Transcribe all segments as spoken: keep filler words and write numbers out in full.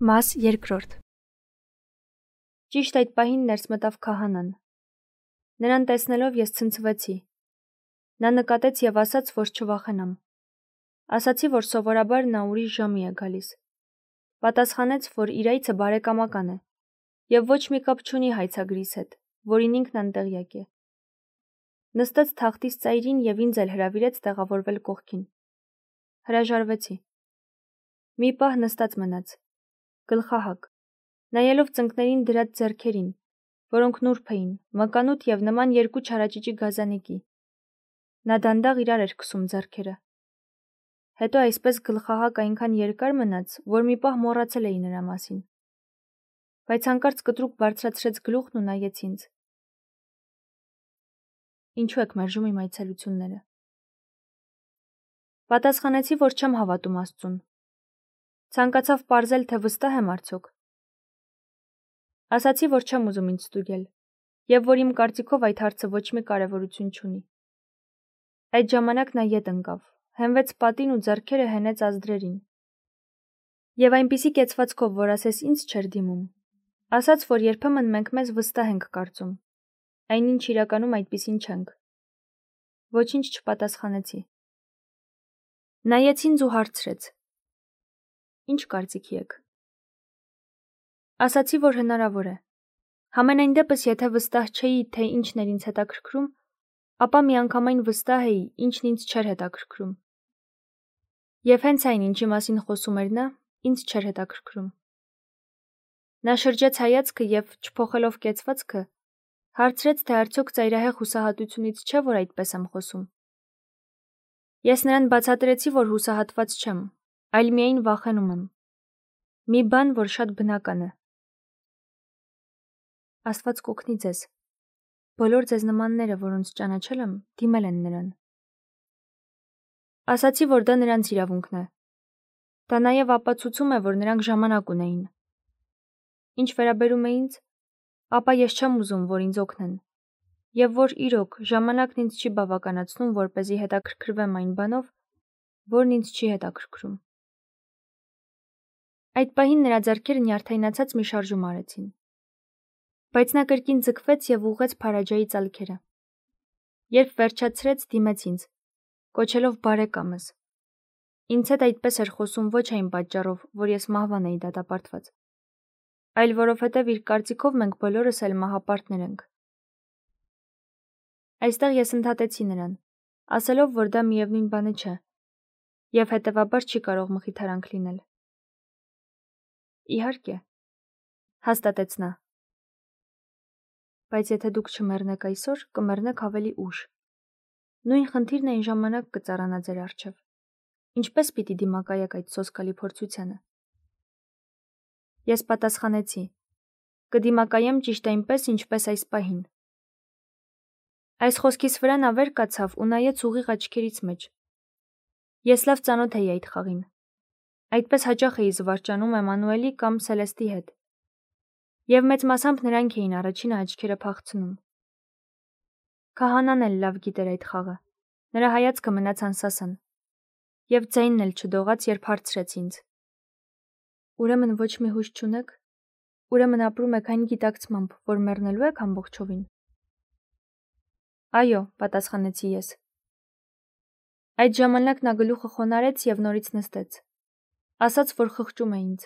Մաս երկրորդ Ճիշտ այդ պահին ներս մտավ քահանան։ Նրան տեսնելով ես ցնցվեցի։ Նա նկատեց և ասաց, որ չվախենամ։ Ասացի, որ սովորաբար նա ուրիշ ժամի է գալիս։ Պատասխանեց, որ իր այցը բարեկամական է և ոչ մի կապ չունի հայցագրիս հետ, որին ինքն անտեղյակ է։ Նստեց թախտիս ծայրին և ինձ էլ հրավիրեց տեղավորվել կողքին։ Հրաժարվեցի։ Մի պահ նստած մնաց։ Գլխահակ, նայելով ծնկներին դրած ձեռքերին, որոնք նուրբ էին, մկանուտ և նման երկու չարաճճի գազանիկի։ Նա դանդաղ իրար էր քսում ձեռքերը։ Հետո այսպես գլխահակ այնքան երկար մնաց, որ մի պահ մոռացել էի նրա մասին։ Բայց հանկարծ կտրուկ բարձրացրեց գլուխն ու նայեց ինձ։ Ինչու եք մերժում իմ այցելությունները։ Պատասխանեցի, որ չեմ հավատում Աստծուն։ Ցանկացավ պարզել, թե վստահ եմ արդյոք։ Ասացի, որ չեմ ուզում ինձ ստուգել, և որ իմ կարծիքով այդ հարցը ոչ մի կարևորություն չունի։ Այդ ժամանակ նա ետ ընկավ, հենվեց պատին ու ձեռքերը հենեց ազդրերին։ Եվ այնպիսի կեցվածքով, որ ասես ինձ չէր դիմում, ասաց, որ երբեմն մենք մեզ վստահ ենք կարծում, այնինչ իրականում այդպիսին չենք։ Ոչինչ չպատասխանեցի։ Նայեց ինձ ու հարցրեց. Ինչ կարծիքի եք։ Ասացի, որ հնարավոր է։ Համենայն դեպս, եթե վստահ չէի, թե ինչն էր ինձ հետաքրքրում, ապա միանգամայն վստահ էի, ինչն ինձ չէր հետաքրքրում։ Եվ հենց այն, ինչի մասին խոսում էր նա, ինձ չէր հետաքրքրում։ Նա շրջեց հայացքը և, չփոխելով կեցվածքը, հարցրեց, թե արդյոք ծայրահեղ հուսահատությունից չէ, որ այդպես եմ խոսում։ Ես նրան բացատրեցի, որ հուսահատված չեմ, այլ միայն վախենում եմ։ Մի բան, որ շատ բնական է։ Աստված կօգնի ձեզ։ Բոլոր ձեզ նմանները, որոնց ճանաչել եմ, դիմել են նրան։ Ասացի, որ դա նրանց իրավունքն է։ Դա նաև ապացուցում է, որ նրանք ժամանակ ունեին։ Ինչ վերաբերում է ինձ, ապա ես չեմ ուզում, որ ինձ օգնեն, և որ իրոք ժամանակն ինձ չի բավականացնում, որպեսզի հետաքրքրվեմ այն բանով, որն ինձ չի հետաքրքրում։ Այդ պահին նրա ձեռքերը նյարդայնացած մի շարժում արեցին։ Բայց նա կրկին ձգվեց և ուղղեց Փարաջայի ծալքերը։ Երբ վերջացրեց, դիմեց ինձ, կոչելով բարեկամս։ Ինձ հետ այդպես էր խոսում ոչ այն պատճառով, որ ես մահվան էի դատապարտված, այլ որովհետև իր կարծիքով մենք բոլորս էլ մահապարտներ ենք։ Այստեղ ես ընդհատեցի նրան, ասելով, որ դա միևնույն բանը չէ, և հետևաբար չի կարող մխիթարանք լինել։ Իհարկե, հաստատեց նա։ Բայց եթե դուք չմեռնեք այսօր, կմեռնեք ավելի ուշ։ Նույն խնդիրն այն ժամանակ կծառանա ձեր առջև։ Ինչպես պիտի դիմակայեք այդ սոսկալի փորձությանը։ Ես պատասխանեցի. կդիմակայեմ ճիշտ այնպես, ինչպես այս պահին։ Այս խոսքիս վրա նա վեր կացավ ու նայեց ուղիղ աչքերից մեջ։ Ես լավ ծանոթ էի այդ խաղին։ Այդպես հաճախ էի զվարճանում Էմանուելի կամ Սելեստի հետ։ Եվ մեծ մասամբ նրանք էին առաջինը աչքերը փախցնում։ Քահանան էլ լավ գիտեր այդ խաղը։ Նրա հայացքը մնաց անսասան։ Եվ ձայնն էլ չդողաց, երբ հարցրեց ինձ. Ուրեմն ոչ մի հույս չունեք։ Ուրեմն ապրում եք այն գիտակցմամբ, որ մեռնելու եք ամբողջովին։ Այո, պատասխանեցի ես։ Այդ ժամանակ նա գլուխը խոնարհեց և նորից նստեց։ Ասաց, որ խղճում է ինձ։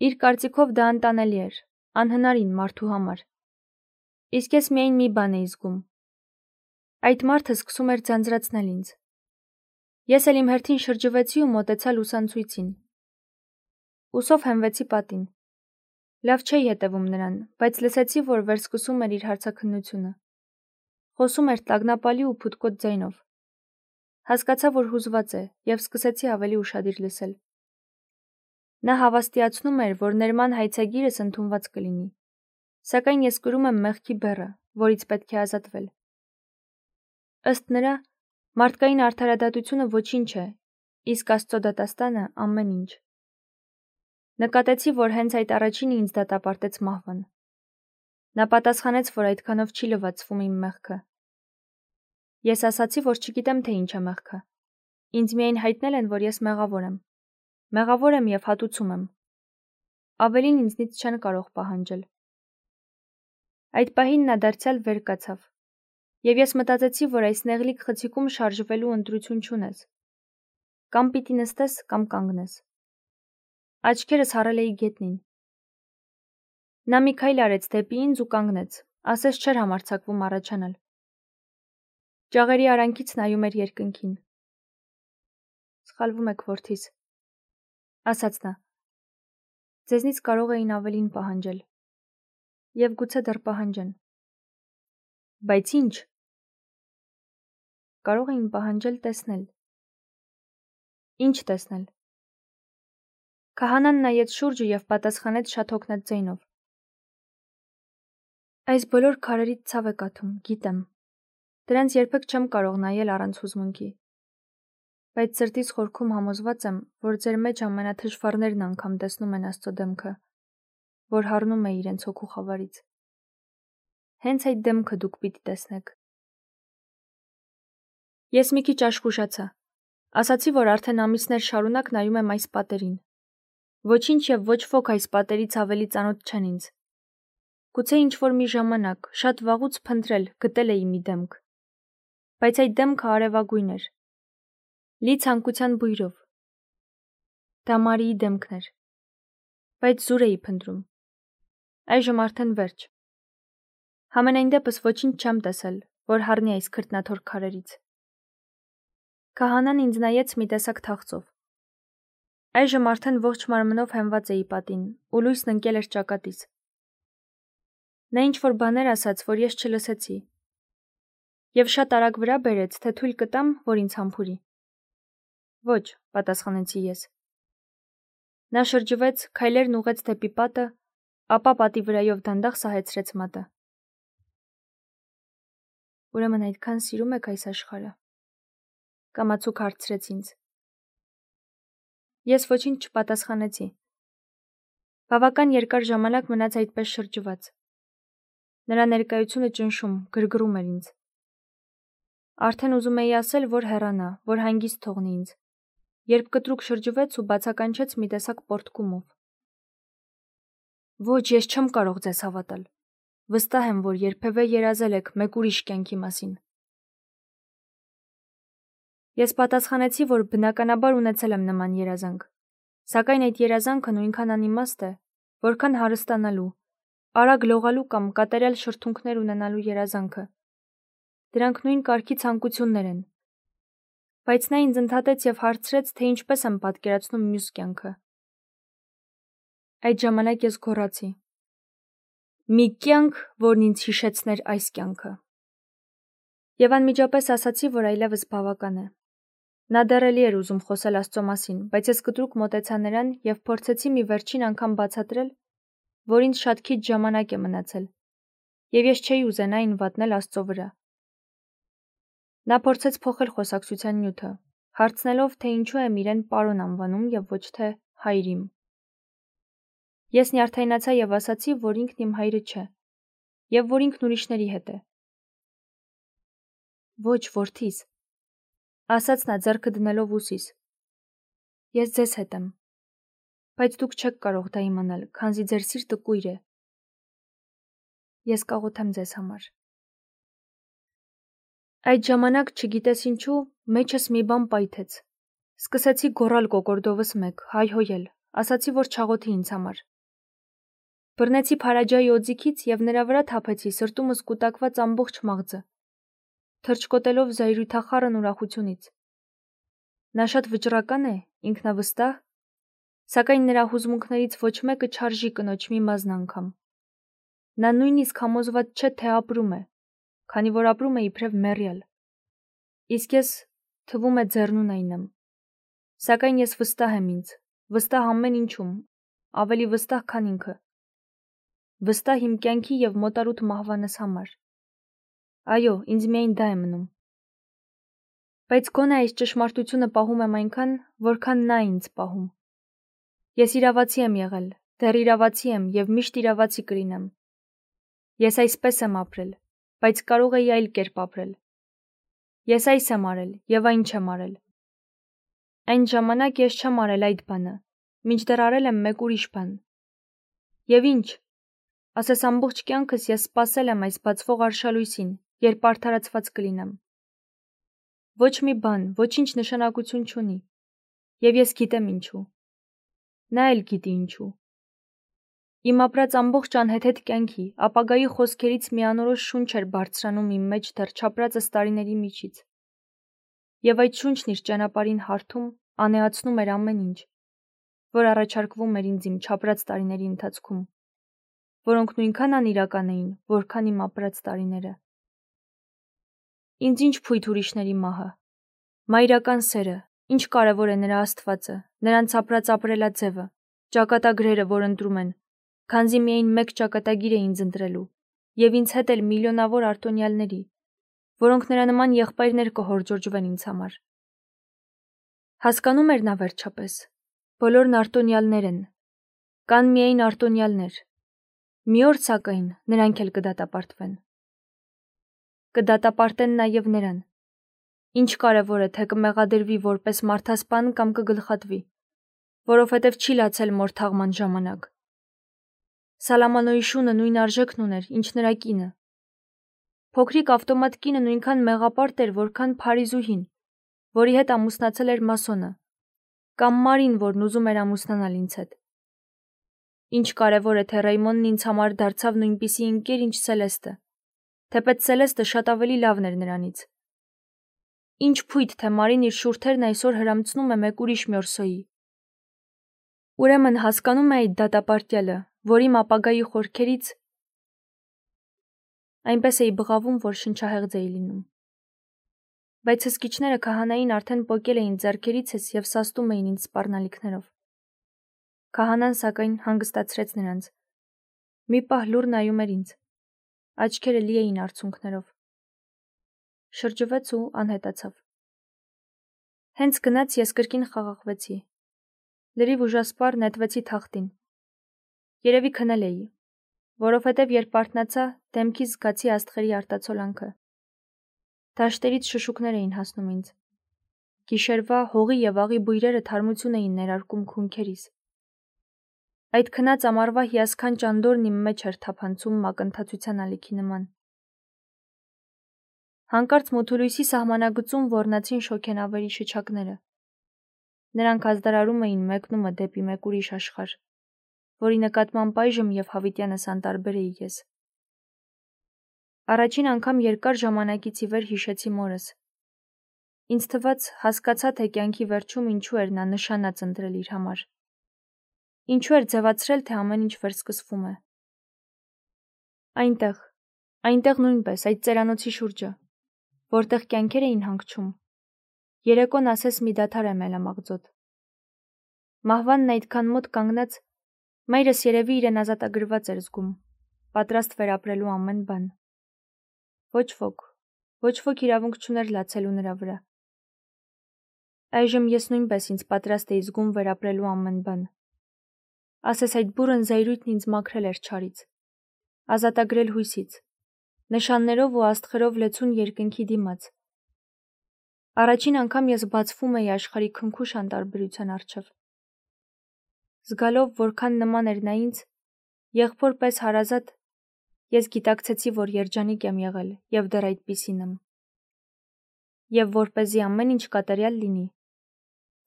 Իր կարծիքով դա անտանելի էր, անհնարին մարդու համար։ Իսկ ես միայն մի բան էի զգում։ Այդ մարդը սկսում էր ձանձրացնել ինձ։ Ես էլ իմ հերթին շրջվեցի ու մոտեցա լուսանցույցին։ Ուսով հենվեցի պատին։ Լավ չէի հետևում նրան, բայց լսեցի, որ վերսկսում էր իր հարցաքննությունը։ Խոսում էր տագնապալի ու փութկոտ ձայնով։ Հասկացա, որ հուզված է, և սկսեցի ավելի ուշադիր լսել։ Նա հավաստիացնում էր, որ ներման հայցագիրս ընդունված կլինի, սակայն ես կրում եմ մեղքի բեռը, որից պետք է ազատվել։ Ըստ նրա, մարդկային արդարադատությունը ոչինչ է, իսկ Աստծո դատաստանը ամեն ինչ։ Նկատեցի, որ հենց այդ առաջինը ինձ դատապարտեց մահվան։ Նա պատասխանեց, որ այդքանով չի լվացվում իմ մեղքը։ Ես ասացի, որ չգիտեմ, թե ինչ է մեղքը։ Ինձ միայն հայտնել են, որ ես մեղավոր եմ։ Մեղավոր եմ և հատուցում եմ։ ավելին ինձնից չեն կարող պահանջել։ Այդ պահին նա դարձյալ վեր կացավ, և ես մտածեցի, որ այս նեղլիկ խցիկում շարժվելու ընտրություն չունես։ Կամ պիտի նստես, կամ կանգնես։ Աչքերս հառել էի գետնին։ Նա մի քայլ արեց դեպի ինձ ու կանգնեց, ասես չէր համարձակվում առաջանալ։ Ճաղերի արանքից նայում էր երկնքին։ Սխալվում եք, որդիս, ասաց նա։ Ձեզնից կարող էին ավելին պահանջել։ Եվ գուցե դեռ պահանջեն։ Բայց ինչ։ Կարող էին պահանջել տեսնել։ Ինչ տեսնել։ Քահանան նայեց շուրջը և պատասխանեց շատ հոգնած ձայնով։ Այս բոլոր քարերից ցավ է կաթում, գիտեմ։ Դրանց երբեք չեմ կարող նայել առանց հուզմունքի։ Բայց սրտիս խորքում համոզված եմ, որ ձեր մեջ ամենաթշվառներն անգամ տեսնում են Աստծո դեմքը, որ հառնում է իրենց հոգու խավարից։ Հենց այդ դեմքը դուք պիտի տեսնեք։ Ես մի քիչ աշխուժացա։ Ասացի, որ արդեն ամիսներ շարունակ նայում եմ այս պատերին։ Ոչինչ և ոչ ոք այս պատերից ավելի ծանոթ չեն ինձ։ Գուցե ինչ-որ մի ժամանակ, շատ վաղուց փնտրել, գտել էի մի դեմք։ Բայց այդ դեմքը արևագույն էր։ Լի ցանկության բույրով։ Դա Մարիի դեմքն էր։ Բայց զուր էի փնտրում։ Այժմ արդեն վերջ։ Համենայն դեպս ոչինչ չեմ տեսել, որ հառնի այս քրտնաթոր քարերից։ Քահանան ինձ նայեց մի տեսակ թախծով։ Այժմ արդեն ողջ մարմնով հենված էի պատին, ու լույսն ընկել էր ճակատիս։ Նա ինչ-որ բաներ ասաց, որ ես չլսեցի։ Եվ շատ արագ վրա բերեց, թե թույլ կտամ, որ ինձ համբուրի։ Ոչ, պատասխանեցի ես։ Նա շրջվեց, քայլերն ուղղեց դեպի պատը, ապա պատի վրայով դանդաղ սահեցրեց մատը։ Ուրեմն այդքան սիրում եք այս աշխարհը։ Կամացուկ հարցրեց ինձ։ Ես ոչինչ չպատասխանեցի։ Բավական երկար ժամանակ մնաց այդպես շրջված։ Նրա ներկայությունը ճնշում, գրգռում էր ինձ։ Արդեն ուզում էի ասել, որ հեռանա, որ հանգիստ թողնի ինձ, երբ կտրուկ շրջվեց ու բացականչեց մի տեսակ պոռթկումով։ Ոչ, ես չեմ կարող ձեզ հավատալ։ Վստահ եմ, որ երբևէ երազել եք մեկ ուրիշ կյանքի մասին։ Ես պատասխանեցի, որ բնականաբար ունեցել եմ նման երազանք, սակայն այդ երազանքը նույնքան անիմաստ է, որքան հարստանալու, արագ լողալու կամ կատարյալ շրթունքներ ունենալու երազանքը։ Դրանք նույն կարգի ցանկություններ են։ Բայց նա ինձ ընդհատեց և հարցրեց, թե ինչպես եմ պատկերացնում մյուս կյանքը։ Այդ ժամանակ ես գոռացի. մի կյանք, որն ինձ հիշեցներ այս կյանքը։ Եվ անմիջապես ասացի, որ այլևս բավական է։ Նա դեռ էլի էր ուզում խոսել Աստծո մասին, բայց ես կտրուկ մոտեցա նրան և փորձեցի մի վերջին անգամ բացատրել, որ ինձ շատ քիչ ժամանակ է մնացել, և ես չէի ուզենա այն վատնել Աստծո վրա։ Նա փորձեց փոխել խոսակցության նյութը, հարցնելով, թե ինչու եմ իրեն պարոն անվանում և ոչ թե հայր իմ։ Ես նյարդայնացա և ասացի, որ ինքն իմ հայրը չէ, և որ ինքն ուրիշների հետ է։ Ոչ, որդիս, ասաց նա ձեռքը դնելով ուսիս։ Ես ձեզ հետ եմ, բայց դուք չեք կարող դա իմանալ, քանզի ձեր սիրտը կույր է։ Ես կաղոթեմ ձեզ համար։ Այդ ժամանակ, չգիտես ինչու, մեջս մի բան պայթեց։ Սկսեցի գոռալ կոկորդովս մեկ, հայհոյել, ասացի, որ չաղոթի ինձ համար։ Բռնեցի Փարաջայի օձիքից և նրա վրա թափեցի սրտումս կուտակված ամբողջ մաղձը, թռչկոտելով զայրույթախառն ուրախությունից։ Նա շատ վճռական է, ինքնավստահ, սակայն նրա հուզմունքներից ոչ մեկը չարժի կնոջ մի մազն անգամ։ Նա նույնիսկ համոզված չէ, թե ապրում է, քանի որ ապրում է իբրև մեռյալ։ Իսկ ես, թվում է, ձեռնունայն եմ։ Սակայն ես վստահ եմ ինձ, վստահ ամեն ինչում, ավելի վստահ, քան ինքը։ Վստահ իմ կյանքի և մոտարուտ մահվանս համար։ Այո, ինձ միայն դա է մնում։ Բայց գոնե այս ճշմարտությունը պահում եմ այնքան, որքան նա ինձ պահում։ Ես իրավացի եմ եղել, դեռ իրավացի եմ և միշտ իրավացի կլինեմ։ Ես այսպես եմ ապրել, բայց կարող էի այլ կերպ ապրել։ Ես այս եմ արել և այն չեմ արել։ Այն ժամանակ ես չեմ արել այդ բանը, մինչդեռ արել եմ մեկ ուրիշ բան, Եվ ինչ, ասես ամբողջ կյանքս ես սպասել եմ այս բացվող արշալույսին, երբ արդարացված կլինեմ։ Ոչ մի բան, ոչինչ նշանակություն չունի, և ես գիտեմ ինչու։ Նա էլ գիտի ինչու։ Իմ ապրած ամբողջ անհեթեթ կյանքի, ապագայի խոսքերից մի անորոշ շունչ էր բարձրանում իմ մեջ դեռ չապրածս տարիների միջից։ Եվ այդ շունչն իր ճանապարհին հարթում, անեացնում էր ամեն ինչ, որ առաջարկվում էր ինձ իմ չապրած տարիների ընթացքում, որոնք նույնքան անիրական էին, որքան իմ ապրած տարիները։ Ինձ ինչ փույթ ուրիշների մահը, մայրական սերը, ինչ կարևոր է նրա Աստվածը, նրանց ապրած ապրելաձևը, ճակատագրերը, որ ընտրում են, քանզի միայն մեկ ճակատագիր է ինձ ընտրելու, և ինձ հետ էլ միլիոնավոր արտոնյալների, որոնք նրա նման եղբայրներ կհորջորջվեն ինձ համար։ Հասկանում էր նա վերջապես, բոլորն արտոնյալներ են, կան միայն արտոնյալներ, մի օր սակայն նրանք էլ կդատապարտվեն։ Կդատապարտեն նաև նրան, ինչ կարևոր է, թե կմեղադրվի որպես մարդասպան կամ կգլխատվի, որովհետև չի լացել մոր թաղման ժամանակ։ Սալամանոյի շունը նույն արժեքն ուներ, ինչ նրա կինը։ Փոքրիկ ավտոմատ կինը նույնքան մեղապարտ էր, որքան Փարիզուհին, որի հետ ամուսնացել էր մասոնը, կամ Մարին, որն ուզում էր ամուսնանալ ինձ հետ։ Ինչ կարևոր է, թե Ռեյմոնն ինձ համար դարձավ նույնպիսի ընկեր, ինչ Սելեստը, թեպետ Սելեստը շատ ավելի լավն էր նրանից։ Ինչ փույթ, թե Մարին իր շուրթերն այսօր հրամցնում է մեկ ուրիշ մյորսոյի։ Ուրեմն հասկանում է այդ դատապարտյալը, որ իմ ապագայի խորքերից այնպես էի բղավում, որ շնչահեղձ էի լինում։ Բայց հսկիչները քահանային արդեն պոկել էին ձեռքերիցս և սաստում էին ինձ սպառնալիքներով։ Քահանան սակայն հանգստացրեց նրանց։ Մի պահ լուռ նայում էր ինձ, աչքերը լի էին արցունքներով։ Շրջվեց ու անհետացավ։ Հենց գնաց ես կրկին խաղաղվեցի։ Լրիվ ուժասպառ նետվեցի թախտին։ Երևի քնել էի, որովհետև երբ արթնացա, դեմքիս զգացի աստղերի արտացոլանքը։ Դաշտերից շշուկներ էին հասնում ինձ։ Գիշերվա հողի և աղի բույրերը թարմություն էին ներարկում քունքերիս։ Այդ քնած ամառվա հիասքանչ անդորրն իմ մեջ էր թափանցում մակընթացության ալիքի նման։ Հանկարծ մութուլույսի սահմանագծում ոռնացին շոգենավերի շչակները։ Նրանք ազդարարում էին մեկնումը դեպի մեկ ուրիշ աշխարհ, որի նկատմամբ այժմ և հավիտյանս անտարբեր էի ես։ Առաջին անգամ երկար ժամանակից ի վեր հիշեցի մորս։ Ինձ թվաց, հասկացա, թե կյանքի վերջում ինչու էր նա նշանած ընտրել իր համար։ Ինչու էր ձևացրել, թե ամեն ինչ վերսկսվում է։ Այնտեղ, այնտեղ նույնպես, այդ ծերանոցի շուրջը, որտեղ կյանքեր էին հանգչում, երեկոն ասես մի դադար է մելամաղձոտ։ Մահվանն այդքան մոտ կանգնած, մայրս երևի իրեն ազատագրված էր զգում, պատրաստ վերապրելու ամեն բան։ Ոչ ոք, ոչ ոք իրավունք չուներ լացելու նրա վրա։ Այժմ ես նույնպես ինձ պատրաստ էի զգում վերապրելու ամեն բան։ Ասես այդ բուռն զայրույթն ինձ մաքրել էր չարից, ազատագրել հույսից, նշաններով ու աստղերով լեցուն երկնքի դիմաց։ Առաջին անգամ ես բացվում էի աշխարհի քնքուշ անտարբերության առջև։ Զգալով, որքան նման էր նա ինձ, եղբոր պես հարազատ, ես գիտակցեցի, որ երջանիկ եմ եղել և դեռ այդպիսին եմ։ Եվ որպեսզի ամեն ինչ կատարյալ լինի,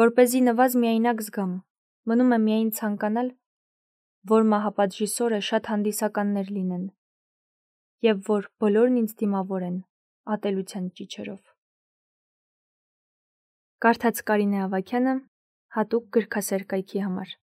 որպեսզի նվազ միայնակ զգամ, մնում է միայն ցանկանալ, որ մահապատժի սորը շատ հանդիսականներ լինեն, և որ բոլորն ինձ դիմավորեն ատելության ճիչերով։ Կարդաց Կարինե Ավագյանը հատուկ գրքասեր կայքի համար։